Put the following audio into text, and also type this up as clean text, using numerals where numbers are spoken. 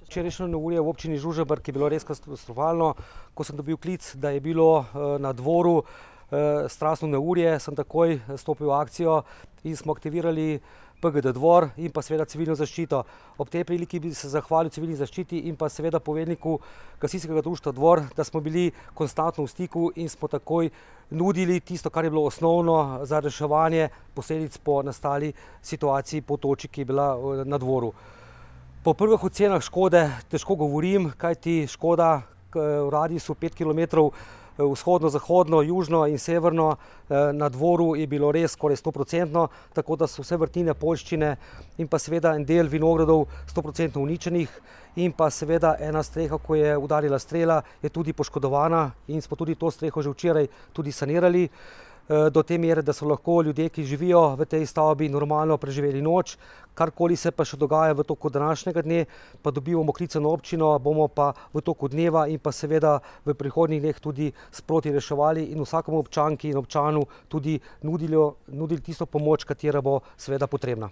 Včerajšnje neurje v občini Žužemberk je bilo res katastrofalno. Ko sem dobil klic, da je bilo na dvoru strasno neurje, sem takoj stopil v akcijo in smo aktivirali PGD dvor in pa seveda civilno zaščito. Ob tej priliki bi se zahvalil civilni zaščiti in pa seveda poveljniku gasilskega društva Dvor, da smo bili konstantno v stiku in smo takoj nudili tisto, kar je bilo osnovno za reševanje posledic po nastali situaciji po toči, ki je bila na dvoru. Po prvih ocenah škode težko govorim, kajti škoda v radiusu 5 km vzhodno, zahodno, južno in severno na dvoru je bilo res skoraj 100%, tako da so vse vrtine, poljščine in pa seveda en del vinogradov 100% uničenih in pa seveda ena streha, ko je udarila strela, je tudi poškodovana in smo tudi to streho že včeraj tudi sanirali. Do te mere, da so lahko ljudje, ki živijo v tej stavbi, normalno preživeli noč. Karkoli se pa še dogaja v toku današnjega dne, pa dobivamo klice na občino, bomo pa v toku dneva in pa seveda v prihodnjih dneh tudi sproti reševali in vsakemu občanki in občanu tudi nudili tisto pomoč, katera bo seveda potrebna.